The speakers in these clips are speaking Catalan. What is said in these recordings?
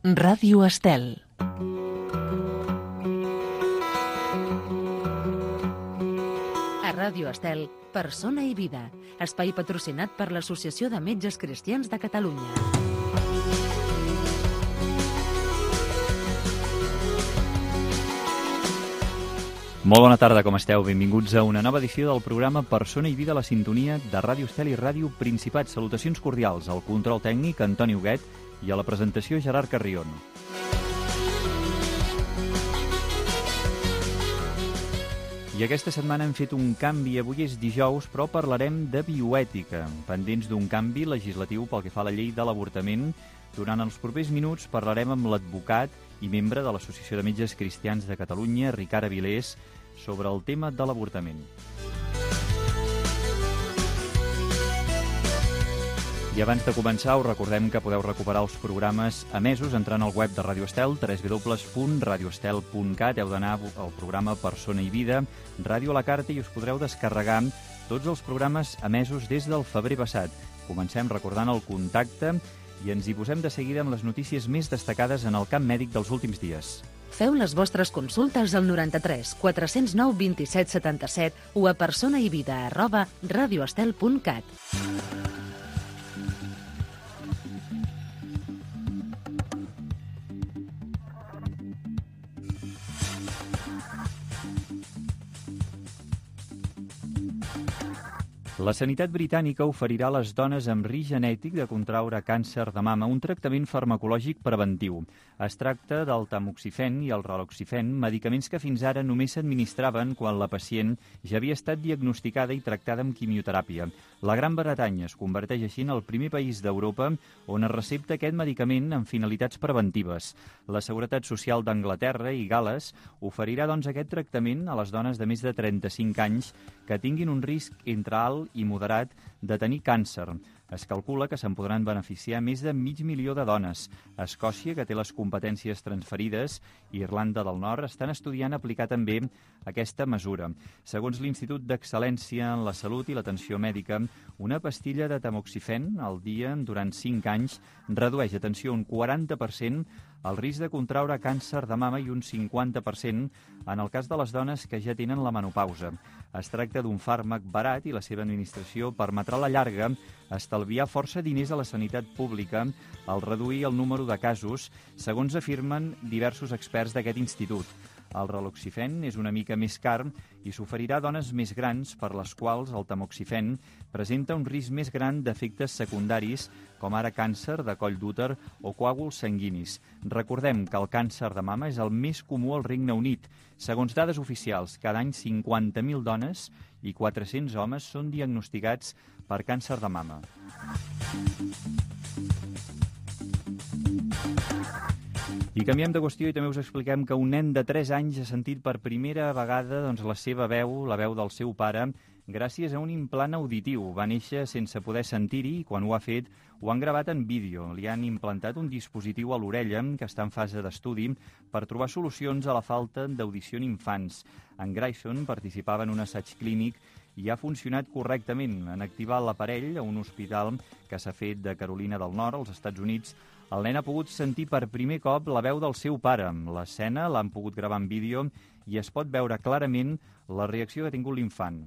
Ràdio Estel. A Ràdio Estel, Persona i Vida, espai patrocinat per l'Associació de Metges Cristians de Catalunya. Molt bona tarda, com esteu? Benvinguts a una nova edició del programa Persona i Vida a la sintonia de Ràdio Estel i Ràdio Principat. Salutacions cordials al control tècnic, Antoni Huguet, i a la presentació, Gerard Carrion. I aquesta setmana hem fet un canvi. Avui és dijous, però parlarem de bioètica, pendents d'un canvi legislatiu pel que fa a la llei de l'avortament. Durant els propers minuts parlarem amb l'advocat i membre de l'Associació de Metges Cristians de Catalunya, Ricard Avilés, sobre el tema de l'avortament. I abans de començar, us recordem que podeu recuperar els programes emesos entrant al web de Ràdio Estel, www.radioestel.cat. Heu d'anar al programa Persona i Vida, Ràdio a la Carta, i us podreu descarregar tots els programes emesos des del febrer passat. Comencem recordant el contacte i ens hi posem de seguida amb les notícies més destacades en el camp mèdic dels últims dies. Feu les vostres consultes al 93 409 27 77 o a personaivida@radioestel.cat. La sanitat britànica oferirà a les dones amb risc genètic de contraure càncer de mama un tractament farmacològic preventiu. Es tracta del tamoxifen i el raloxifen, medicaments que fins ara només s'administraven quan la pacient ja havia estat diagnosticada i tractada amb quimioteràpia. La Gran Bretanya es converteix així en el primer país d'Europa on es recepta aquest medicament amb finalitats preventives. La Seguretat Social d'Anglaterra i Gal·les oferirà doncs aquest tractament a les dones de més de 35 anys que tinguin un risc entre alt i moderat de tenir càncer. Es calcula que se'n podran beneficiar més de 500.000 de dones. Escòcia, que té les competències transferides, i Irlanda del Nord estan estudiant aplicar també aquesta mesura. Segons l'Institut d'Excel·lència en la Salut i l'Atenció Mèdica, una pastilla de tamoxifen al dia durant 5 anys redueix, atenció, un 40% el risc de contraure càncer de mama i un 50% en el cas de les dones que ja tenen la menopausa. Es tracta d'un fàrmac barat i la seva administració permetrà a la llarga estalviar força diners a la sanitat pública al reduir el número de casos, segons afirmen diversos experts d'aquest institut. El raloxifen és una mica més car i s'oferirà a dones més grans per les quals el tamoxifen presenta un risc més gran d'efectes secundaris com ara càncer de coll d'úter o coàguls sanguinis. Recordem que el càncer de mama és el més comú al Regne Unit. Segons dades oficials, cada any 50.000 dones i 400 homes són diagnosticats per càncer de mama. I canviem de qüestió i també us expliquem que un nen de 3 anys ha sentit per primera vegada la seva veu, la veu del seu pare, gràcies a un implant auditiu. Va néixer sense poder sentir-hi i quan ho ha fet ho han gravat en vídeo. Li han implantat un dispositiu a l'orella que està en fase d'estudi per trobar solucions a la falta d'audició en infants. En Grayson participava en un assaig clínic i ha funcionat correctament. En activar l'aparell a un hospital que s'ha fet de Carolina del Nord, als Estats Units, el nen ha pogut sentir per primer cop la veu del seu pare. L'escena l'han pogut gravar en vídeo i es pot veure clarament la reacció que ha tingut l'infant.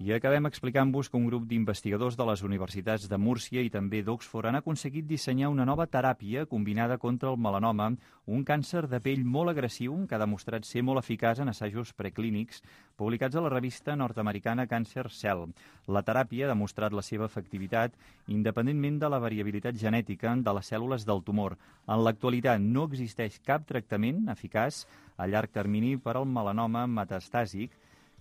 I acabem explicant-vos que un grup d'investigadors de les universitats de Múrcia i també d'Oxford han aconseguit dissenyar una nova teràpia combinada contra el melanoma, un càncer de pell molt agressiu que ha demostrat ser molt eficaç en assajos preclínics publicats a la revista nord-americana Cancer Cell. La teràpia ha demostrat la seva efectivitat independentment de la variabilitat genètica de les cèl·lules del tumor. En l'actualitat no existeix cap tractament eficaç a llarg termini per al melanoma metastàsic,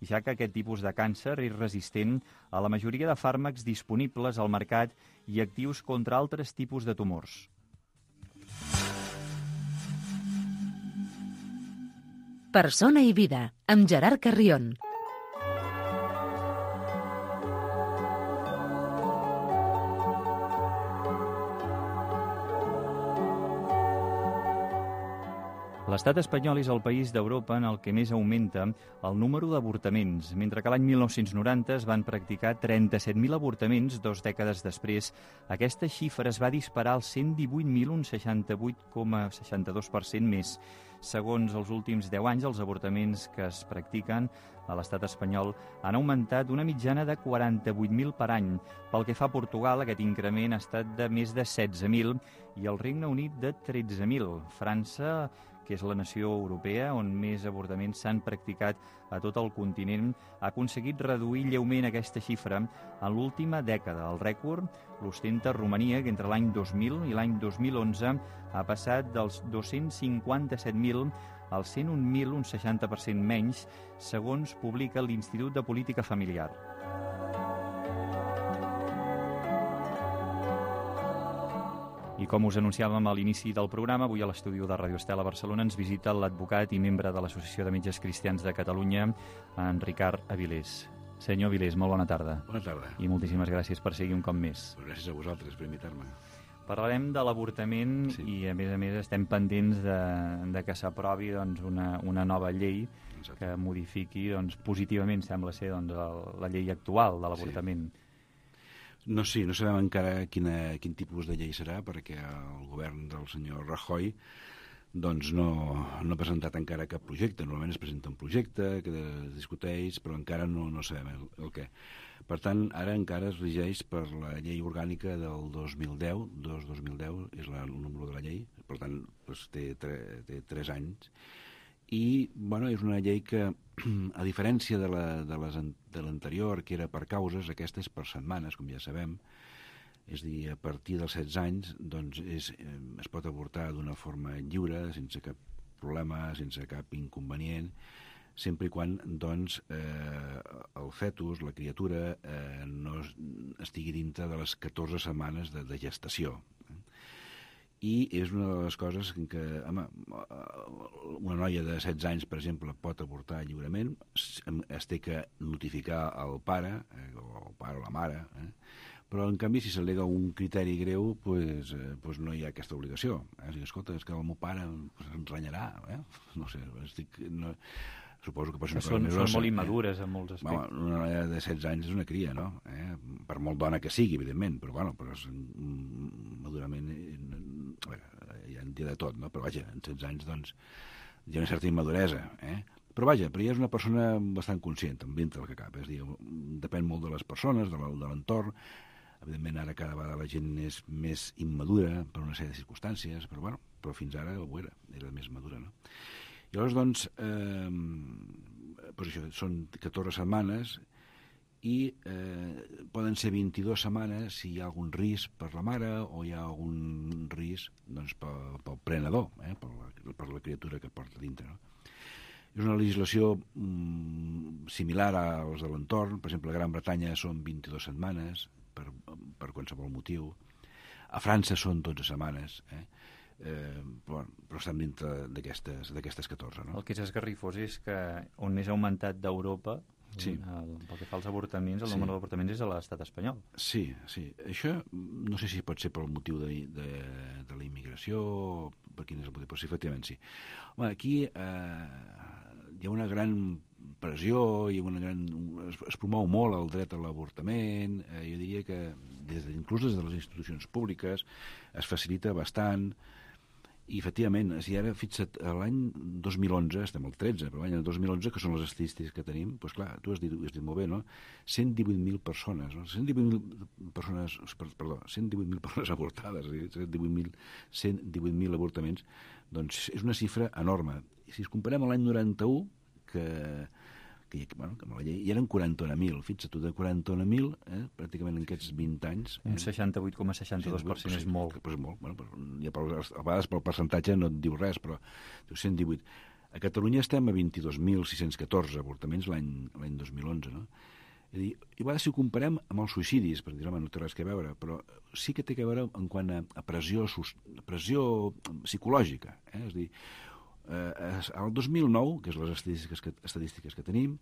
ja que aquest tipus de càncer és resistent a la majoria de fàrmacs disponibles al mercat i actius contra altres tipus de tumors. Persona i Vida, amb Gerard Carrion. L'estat espanyol és el país d'Europa en el que més augmenta el número d'avortaments, mentre que l'any 1990 es van practicar 37.000 avortaments, 2 dècades després. Aquesta xifra es va disparar als 118.000, un 68,62% més. Segons els últims 10 anys, els avortaments que es practiquen a l'estat espanyol han augmentat una mitjana de 48.000 per any. Pel que fa a Portugal, aquest increment ha estat de més de 16.000 i el Regne Unit de 13.000. França, que és la nació europea on més avortaments s'han practicat a tot el continent, ha aconseguit reduir lleument aquesta xifra en l'última dècada. El rècord l'ostenta Romania, que entre l'any 2000 i l'any 2011 ha passat dels 257.000 als 101.000, un 60% menys, segons publica l'Institut de Política Familiar. I com us anunciàvem a l'inici del programa, avui a l'estudi de Radio Estel a Barcelona ens visita l'advocat i membre de l'Associació de Metges Cristians de Catalunya, en Ricard Avilés. Senyor Avilés, molt bona tarda. Bona tarda. I moltíssimes gràcies per seguir un cop més. Gràcies a vosaltres per invitar-me. Parlarem de l'avortament i, a més, estem pendents de que s'aprovi una nova llei que modifiqui positivament, sembla ser, la llei actual de l'avortament. No sabem encara quin tipus de llei serà, perquè el govern del senyor Rajoy no ha presentat encara cap projecte. Normalment es presenta un projecte que es discuteix, però encara no sabem el què. Per tant, ara encara es regeix per la llei orgànica del 2010, 2010 és el número de la llei, per tant té 3 anys, i és una llei que, a diferència de l'anterior, que era per causes, aquesta és per setmanes, com ja sabem. És a dir, a partir dels 16 anys es pot avortar d'una forma lliure, sense cap problema, sense cap inconvenient, sempre i quan el fetus, la criatura, no estigui dintre de les 14 setmanes de gestació. I és una de les coses que, una noia de 16 anys, per exemple, pot avortar lliurement, es té que notificar al pare, o la mare, però, en canvi, si s'al·lega un criteri greu, no hi ha aquesta obligació. Escolta, és que el meu pare ens renyarà, no sé, suposo que pot ser una cosa més grossa. Són molt immadures en molts aspectes. Una noia de 16 anys és una cria, no? Per molt dona que sigui, evidentment, però madurament hi ha de tot, no? Però vaja, en 16 anys hi ha una certa immaduresa, Però vaja, ja és una persona bastant conscient, dintre del que cap. És a dir, depèn molt de les persones, de l'entorn. Evidentment, ara cada vegada la gent és més immadura per una sèrie de circumstàncies, però fins ara ho era més madura, no? I llavors, això, són 14 setmanes i poden ser 22 setmanes si hi ha algun risc per la mare o hi ha algun risc pel prenedor, per la criatura que porta dintre, no? És una legislació similar als de l'entorn. Per exemple, a Gran Bretanya són 22 setmanes per qualsevol motiu. A França són 12 setmanes, però estem dintre d'aquestes 14. No? El que és esgarrifós és que on més ha augmentat d'Europa, pel que fa als avortaments, el número d'avortaments és a l'estat espanyol. Sí. Això no sé si pot ser pel motiu de la immigració o per quin és el motiu, però sí, efectivament sí. Aquí hi ha una gran pressió i es promou molt el dret a l'avortament. Jo diria que inclús des de les institucions públiques es facilita bastant. I, efectivament, si ara fixa't, l'any 2011, estem al 13, però l'any 2011, que són les estadístiques que tenim, doncs clar, tu has dit molt bé, no? 118.000 persones, no? 118.000 persones avortades, 118.000 avortaments, doncs és una xifra enorme. I si es comparem amb l'any 91, que amb la llei, hi eren 41.000, fixa't tu, de 41.000, pràcticament en aquests 20 anys... Un 68,62% és molt. És molt, a vegades pel percentatge no et diu res, però 118. A Catalunya estem a 22.614 avortaments l'any 2011, no? És a dir, i a vegades si ho comparem amb els suïcidis, per dir, home, no té res que veure, però sí que té que veure en quant a pressió psicològica, és a dir, el 2009, que és les estadístiques que tenim,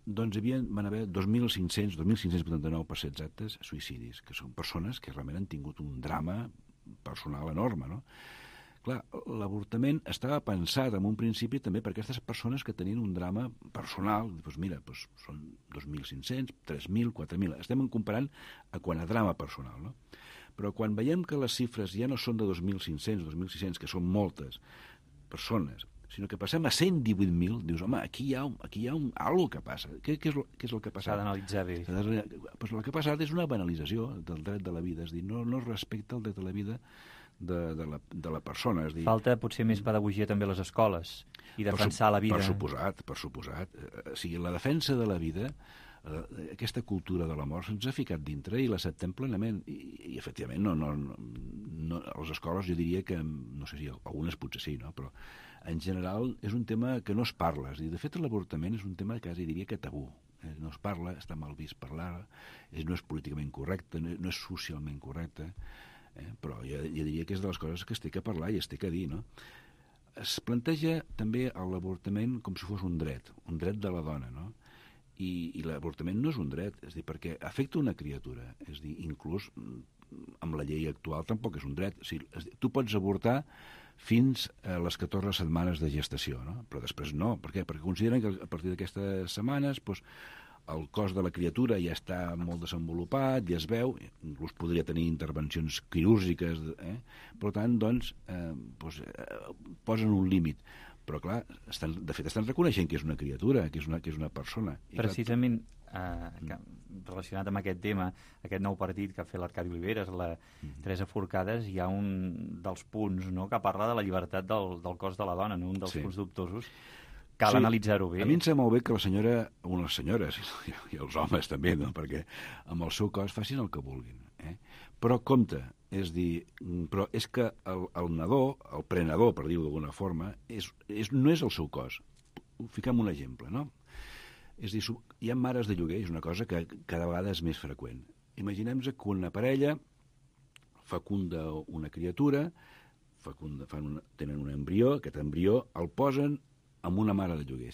doncs van haver 2.589, per ser exactes, suïcidis, que són persones que realment han tingut un drama personal enorme, no? Clar, l'avortament estava pensat en un principi també per aquestes persones que tenien un drama personal. Doncs mira, doncs són 2.500, 3.000, 4.000. Estem comparant quant a drama personal, no? Però quan veiem que les xifres ja no són de 2.500, 2.600, que són moltes persones, sinó que passem a 118.000, dius, home, aquí hi ha algo que passa. Què és el que ha passat? S'ha d'analitzar bé. Pues el que ha passat és una banalització del dret de la vida, és dir, no es respecta el dret de la vida de la persona. És dir, falta potser més pedagogia també a les escoles i defensar la vida. Per suposat. O sigui, la defensa de la vida, aquesta cultura de la mort se'ns ha ficat dintre i l'acceptem plenament. I efectivament, no, a les escoles jo diria que, no sé si algunes potser sí, no? Però en general és un tema que no es parla. És dir, de fet, l'avortament és un tema que quasi diria que tabú. No es parla, està mal vist parlar, no és políticament correcte, no és socialment correcte, però jo diria que és de les coses que es té que parlar i es té que dir, no? Es planteja també l'avortament com si fos un dret de la dona, no? I l'avortament no és un dret, és dir, perquè afecta una criatura, és dir, inclús amb la llei actual tampoc és un dret. O sigui, tu pots avortar fins a les 14 setmanes de gestació, no? Però després no. Per què? Perquè consideren que a partir d'aquestes setmanes el cos de la criatura ja està molt desenvolupat, ja es veu, inclús podria tenir intervencions quirúrgiques, per tant, doncs, posen un límit. Però, clar, de fet, estan reconeixent que és una criatura, que és una persona. Precisament, relacionat amb aquest tema, aquest nou partit que ha fet l'Arcadi Oliveres, la Teresa Forcades, hi ha un dels punts, no?, que parla de la llibertat del cos de la dona, no? Un dels punts dubtosos. Cal analitzar-ho bé. A mi em sembla molt bé que les senyores i els homes també, no? Perquè amb el seu cos facin el que vulguin. Però compte, és dir, però és que el nadó, el prenador, per dir-ho d'alguna forma, no és el seu cos. Fiquem un exemple, no? És dir, hi ha mares de lloguer, és una cosa que cada vegada és més freqüent. Imaginem-nos que una parella fecunda una criatura, tenen un embrió, aquest embrió el posen amb una mare de lloguer,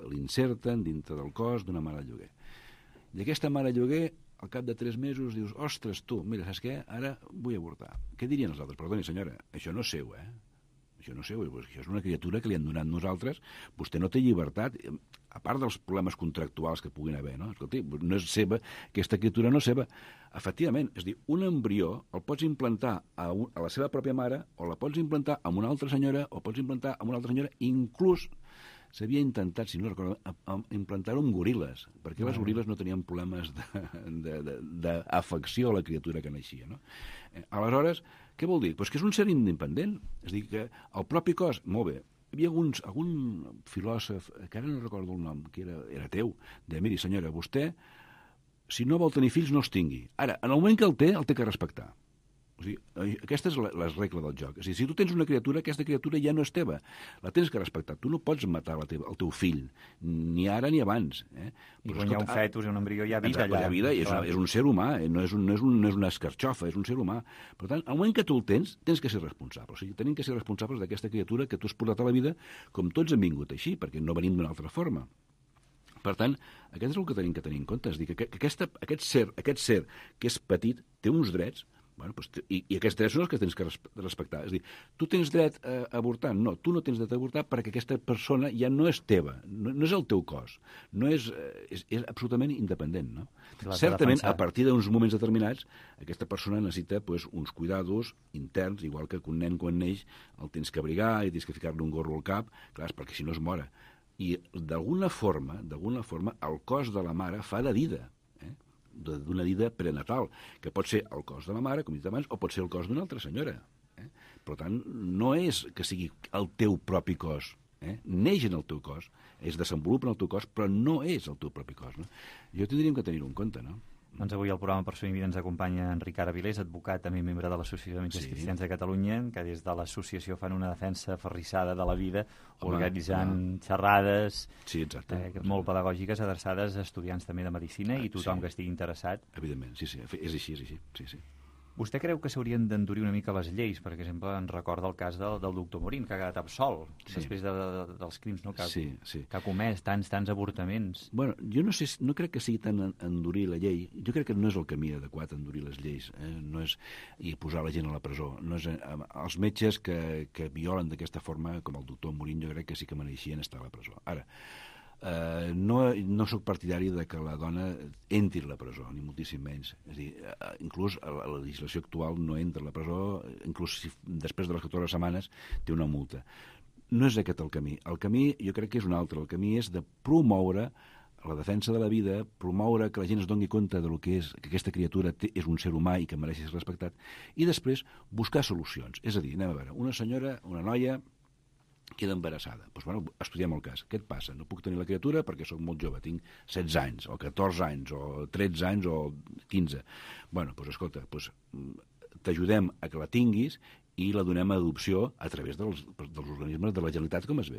l'inserten dintre del cos d'una mare de lloguer. I aquesta mare de lloguer, al cap de 3 mesos, dius, ostres, tu, mira, saps què? Ara vull avortar. Què dirien els altres? Perdoni, senyora, això no és seu, Això no és seu, això és una criatura que li han donat nosaltres, vostè no té llibertat, a part dels problemes contractuals que puguin haver, no? Escolti, no és seva, aquesta criatura no és seva. Efectivament, és dir, un embrió el pots implantar a la seva pròpia mare, o la pots implantar amb una altra senyora, o pots implantar amb una altra senyora, inclús s'havia intentat, si no recordo, implantar-ho amb goril·les, perquè les goril·les no tenien problemes d'afecció a la criatura que naixia, no? Aleshores, què vol dir? Pues que és un ser independent. És a dir, que el propi cos, molt bé, hi havia algun filòsof, que ara no recordo el nom, que era teu, de miri, senyora, vostè, si no vol tenir fills, no els tingui. Ara, en el moment que el té que respectar. O sigui, aquesta és la regla del joc. És a dir, si tu tens una criatura, aquesta criatura ja no és teva. La tens que respectar. Tu no pots matar el teu fill, ni ara ni abans. I quan hi ha un fetus i un embrió hi ha vida allà. Hi ha vida, és un ser humà, no és una escarxofa, és un ser humà. Per tant, al moment que tu el tens que ser responsable. O sigui, tenim que ser responsables d'aquesta criatura que tu has portat a la vida, com tots hem vingut així, perquè no venim d'una altra forma. Per tant, aquest és el que tenim que tenir en compte. És dir, que aquest ser que és petit té uns drets. Bueno, doncs, i aquests drets són els que tens que respectar. És a dir, tu tens dret a avortar? No, tu no tens dret a avortar perquè aquesta persona ja no és teva, no és el teu cos, és absolutament independent. No? Certament, a partir d'uns moments determinats, aquesta persona necessita uns cuidados interns, igual que un nen quan neix el tens que abrigar i tens que ficar-li un gorro al cap, clar, perquè si no es mora. I d'alguna forma, el cos de la mare fa de dida, d'una dida prenatal, que pot ser el cos de la mare, com he dit abans, o pot ser el cos d'una altra senyora. Per tant, no és que sigui el teu propi cos. Neix en el teu cos, es desenvolupa en el teu cos, però no és el teu propi cos. No? Jo tindríem que tenir-ho en compte, no? Doncs avui al programa Persona i Vida ens acompanya Enric Aravilés, advocat, també membre de l'Associació de Metges Cristians de Catalunya, que des de l'associació fan una defensa aferrissada de la vida, organitzant xerrades molt pedagògiques adreçades a estudiants també de Medicina i tothom que estigui interessat. Evidentment, sí, és així. Sí. Vostè creu que s'haurien d'endurir una mica les lleis? Per exemple, ens recorda el cas del doctor Morín, que ha quedat absolt després dels crims, no? Que ha comès tants avortaments. Bueno, jo no crec que sigui tant endurir la llei. Jo crec que no és el camí adequat endurir les lleis, no és, i posar la gent a la presó. No és, els metges que violen d'aquesta forma, com el doctor Morín, jo crec que sí que mereixien estar a la presó. Ara, no sóc partidari de que la dona entri a la presó, ni moltíssim menys. És a dir, inclús la legislació actual no entra a la presó, inclús si després de les 14 setmanes té una multa. No és aquest el camí. El camí jo crec que és un altre. El camí és de promoure la defensa de la vida, promoure que la gent es doni compte del que és, que aquesta criatura és un ser humà i que mereix ser respectat, i després buscar solucions. És a dir, anem a veure, una senyora, una noia, queda embarassada. Doncs, bueno, estudiem el cas. Què et passa? No puc tenir la criatura perquè sóc molt jove, tinc 16 anys, o 14 anys, o 13 anys, o 15. Bueno, doncs escolta, t'ajudem a que la tinguis i la donem a adopció a través dels organismes de la Generalitat, com es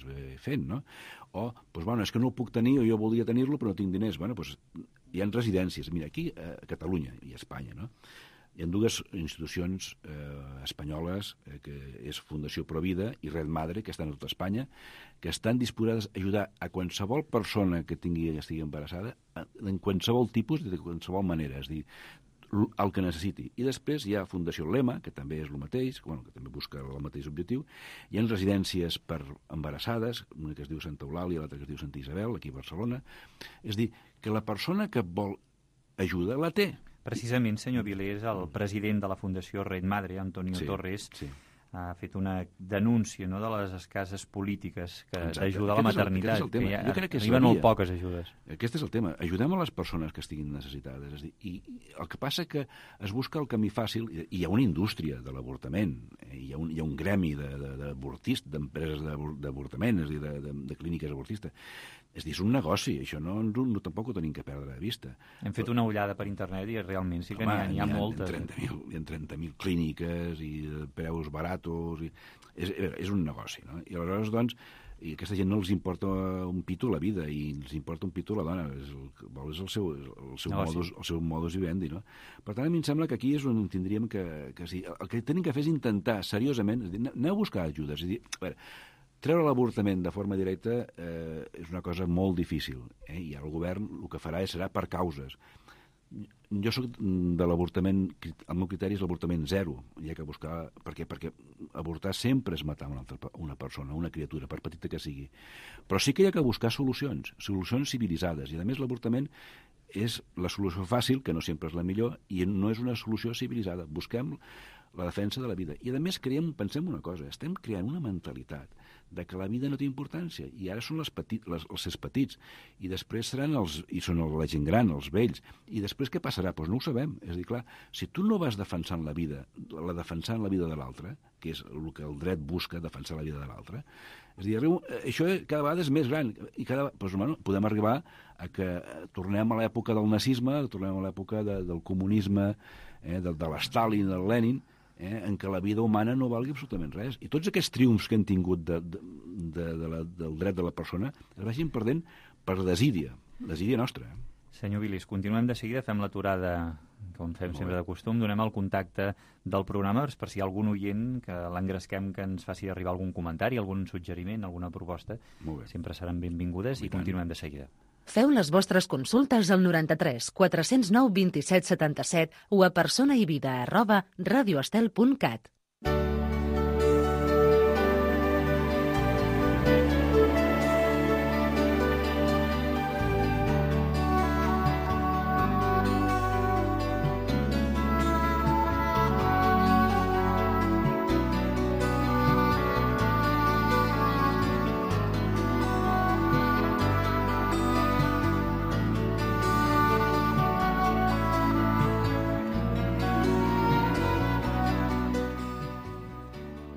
ve fent, no? O, doncs, bueno, és que no ho puc tenir, o jo volia tenir-lo, però no tinc diners. Bueno, doncs hi ha residències. Mira, aquí a Catalunya i a Espanya, no? Hi ha dues institucions espanyoles, que és Fundació Provida i Red Madre, que estan a tota Espanya, que estan disposades a ajudar a qualsevol persona que estigui embarassada en qualsevol tipus, de qualsevol manera, és a dir, el que necessiti. I després hi ha Fundació Lema, que també és el mateix, que també busca el mateix objectiu. Hi ha residències per embarassades, una que es diu Santa Eulàlia, l'altra que es diu Santa Isabel, aquí a Barcelona. És a dir, que la persona que vol ajuda la té. Precisament, senyor Vilés, el president de la Fundació Red Madre, Antonio Torres, ha fet una denúncia, no, de les escasses polítiques d'ajuda a la maternitat, que ja arriben molt poques ajudes. Aquest és el tema. Ajudem a les persones que estiguin necessitades. És a dir, i el que passa que es busca el camí fàcil, i hi ha una indústria de l'avortament, hi ha un gremi d'avortistes, d'empreses d'avortament, és a dir, de clíniques avortistes. És a dir, és un negoci, això tampoc ho tenim que perdre de vista. Hem fet una ullada per internet i realment sí que n'hi ha moltes. Hi ha 30.000 clíniques i preus baratos. És un negoci, no? I aleshores, doncs, i a aquesta gent no els importa un pito la vida i els importa un pito la dona. És el seu modus vivendi, no? Per tant, a mi em sembla que aquí és on tindríem que sí. El que tenim que fer és intentar, seriosament, aneu a buscar ajudes. És a dir, a veure, treure l'avortament de forma directa és una cosa molt difícil, i el govern el que farà serà per causes. Jo soc de l'avortament, el meu criteri és l'avortament zero, hi ha que buscar, perquè avortar sempre és matar una persona, una criatura, per petita que sigui. Però sí que hi ha que buscar solucions civilitzades, i a més l'avortament és la solució fàcil, que no sempre és la millor, i no és una solució civilitzada. Busquem la defensa de la vida. I a més pensem una cosa, estem creant una mentalitat de que la vida no té importància, i ara són els petits, i després seran són la gent gran, els vells, i després què passarà? Doncs no ho sabem. És a dir, clar, si tu no vas defensant la vida de l'altre, que és el que el dret busca, defensar la vida de l'altre, és a dir, això cada vegada és més gran, i podem arribar a que tornem a l'època del nazisme, tornem a l'època del comunisme, de l'Stalin, del Lenin, en què la vida humana no valgui absolutament res. I tots aquests triomfs que hem tingut del dret de la persona es vagin perdent per desídia nostra. Senyor Vilés, continuem de seguida, fem l'aturada, com fem sempre de costum, donem el contacte del programa per si hi ha algun oient que l'engresquem que ens faci arribar algun comentari, algun suggeriment, alguna proposta. Sempre seran benvingudes i continuem de seguida. Feu les vostres consultes al 93 409 27 77 o a personaivida@radioestel.cat.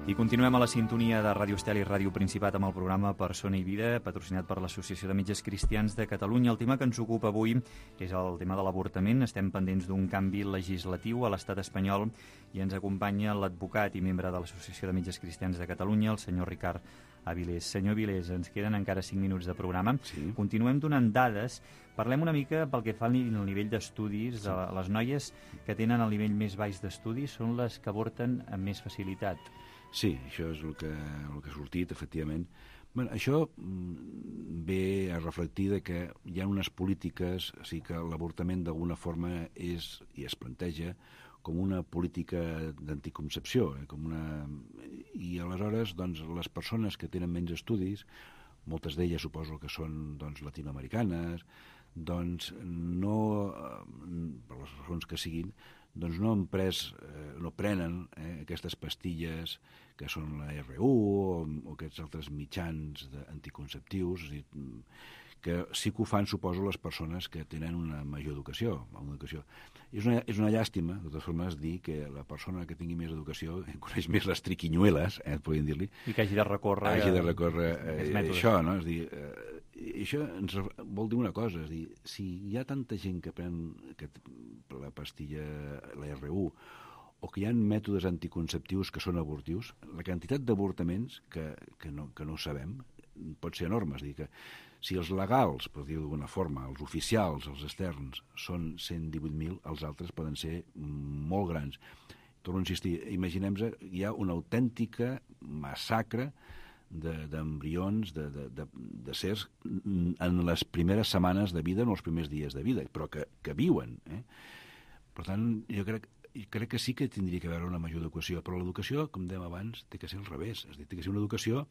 I continuem a la sintonia de Ràdio Estel i Ràdio Principat amb el programa Persona i Vida, patrocinat per l'Associació de Metges Cristians de Catalunya. El tema que ens ocupa avui és el tema de l'avortament. Estem pendents d'un canvi legislatiu a l'estat espanyol i ens acompanya l'advocat i membre de l'Associació de Metges Cristians de Catalunya, el senyor Ricard Vilés. Senyor Vilés, ens queden encara 5 minuts de programa. Sí. Continuem donant dades. Parlem una mica pel que fa al nivell d'estudis. Sí. Les noies que tenen el nivell més baix d'estudis són les que avorten amb més facilitat. Sí, això és el que ha sortit, efectivament. Bé, això ve a reflectir que hi ha unes polítiques, o sigui que l'avortament d'alguna forma és, i es planteja, com una política d'anticoncepció. I aleshores, doncs, les persones que tenen menys estudis, moltes d'elles suposo que són latinoamericanes, doncs no, per les raons que siguin, doncs no prenen aquestes pastilles que són la RU o aquests altres mitjans anticonceptius, és a dir, que sí que ho fan, suposo, les persones que tenen una major educació. És una llàstima, de totes formes, dir que la persona que tingui més educació coneix més les triquinyueles, podríem dir-li. I que hagi de recórrer... això, no? És dir, això ens vol dir una cosa, és dir, si hi ha tanta gent que pren la pastilla, la RU, o que hi ha mètodes anticonceptius que són abortius, la quantitat d'avortaments que no sabem pot ser enorme. És dir, que si els legals, per dir-ho d'alguna forma, els oficials, els externs, són 118.000, els altres poden ser molt grans. Torno a insistir, imaginem-nos, hi ha una autèntica massacre d'embrions, de sers en les primeres setmanes de vida, en els primers dies de vida, però que viuen. Per tant, jo crec que sí que tindria que haver una major educació, però l'educació, com dèiem abans, té que ser al revés, és a dir, té que ser una educació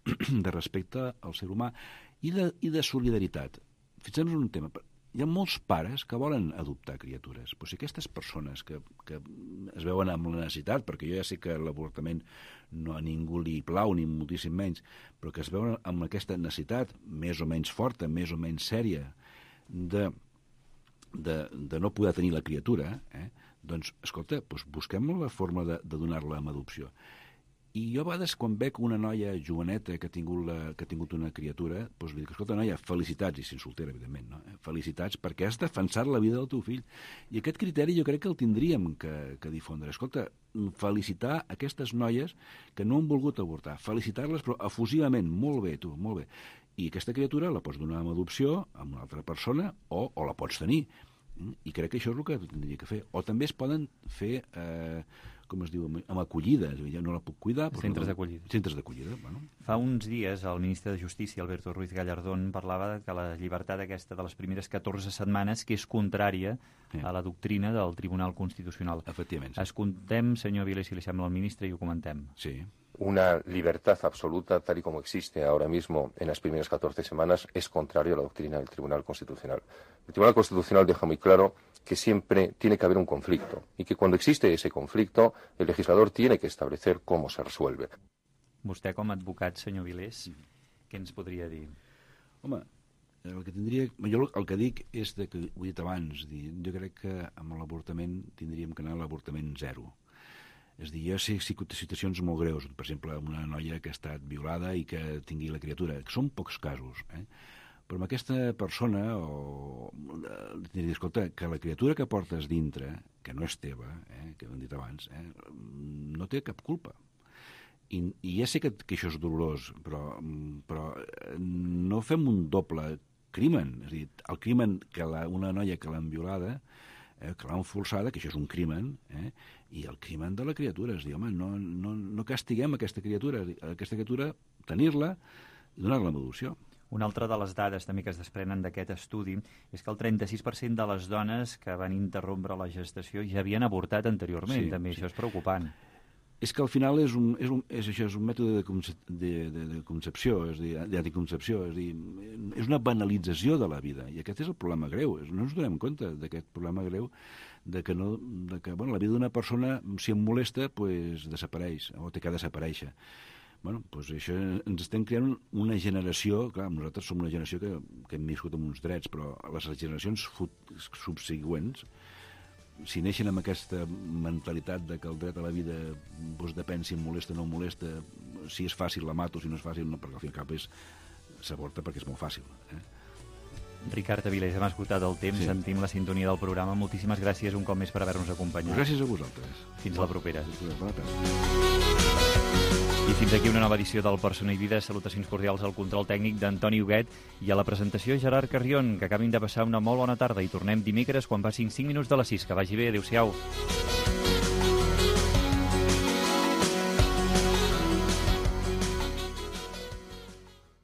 de respecte al ser humà i de solidaritat. Fixem-nos en un tema. Hi ha molts pares que volen adoptar criatures, però si aquestes persones que es veuen amb la necessitat, perquè jo ja sé que l'avortament no a ningú li plau, ni moltíssim menys, però que es veuen amb aquesta necessitat més o menys forta, més o menys sèria, de no poder tenir la criatura, doncs, escolta, busquem la forma de donar-la en adopció. I jo a vegades, quan veig una noia joveneta que ha tingut una criatura, doncs li dic, escolta, noia, felicitats, i si soltera, evidentment, no? Felicitats, perquè has defensat la vida del teu fill. I aquest criteri jo crec que el tindríem que difondre. Escolta, felicitar aquestes noies que no han volgut avortar, felicitar-les, però efusivament, molt bé, tu, molt bé. I aquesta criatura la pots donar en adopció a una altra persona o la pots tenir. I crec que això és el que tindria que fer. O també es poden fer, com es diu, amb acollida. Ja no la puc cuidar. Centres d'acollida. Centres d'acollida, bueno. Fa uns dies el ministre de Justícia, Alberto Ruiz Gallardón, parlava que la llibertat aquesta de les primeres 14 setmanes que és contrària a la doctrina del Tribunal Constitucional. Efectivament. Escoltem, senyor Vilés, si li sembla al ministre, i ho comentem. Sí. Una libertad absoluta, tal y como existe ahora mismo en las primeras 14 semanas, es contrario a la doctrina del Tribunal Constitucional. El Tribunal Constitucional deja muy claro que siempre tiene que haber un conflicto y que cuando existe ese conflicto, el legislador tiene que establecer cómo se resuelve. Vostè, com a advocat, senyor Vilés, què ens podria dir? Home, jo el que dic és que ho he dit abans, jo crec que amb l'avortament tindríem que anar a l'avortament zero. És a dir, jo sé situacions molt greus, per exemple, una noia que ha estat violada i que tingui la criatura, que són pocs casos, però amb aquesta persona, escolta, que la criatura que portes dintre, que no és teva, que hem dit abans, no té cap culpa. I ja sé que això és dolorós, però no fem un doble crimen. És a dir, el crimen que una noia que l'han violada, que l'han forçada, que això és un crimen, i el crimen de la criatura. És a dir, home, no castiguem aquesta criatura, tenir-la i donar-la en adopció. Una altra de les dades també que es desprenen d'aquest estudi és que el 36% de les dones que van interrompre la gestació ja havien avortat anteriorment. També això és preocupant. És que al final és un mètode de concepció, és a dir, d'anticoncepció, és a dir, és una banalització de la vida, i aquest és el problema greu. No ens donem compte d'aquest problema greu de que la vida d'una persona, si em molesta, desapareix, o té que desaparèixer. Això ens estem creant una generació, clar, nosaltres som una generació que hem viscut amb uns drets, però les generacions subsegüents, si neixen amb aquesta mentalitat de que el dret a la vida depèn si em molesta o no em molesta, si és fàcil la mato, si no és fàcil no, perquè al fin i al cap s'avorta perquè és molt fàcil. Ricard Avilés, hem esgotat el temps, sentim la sintonia del programa. Moltíssimes gràcies un cop més per haver-nos acompanyat. Gràcies a vosaltres. Fins la propera. Bona tarda. I fins aquí una nova edició del Persona i Vida. Salutacions cordials al control tècnic d'Antoni Huguet i a la presentació Gerard Carrion, que acabin de passar una molt bona tarda i tornem dimecres quan passin 5 minuts de les 6. Que vagi bé, adéu-siau.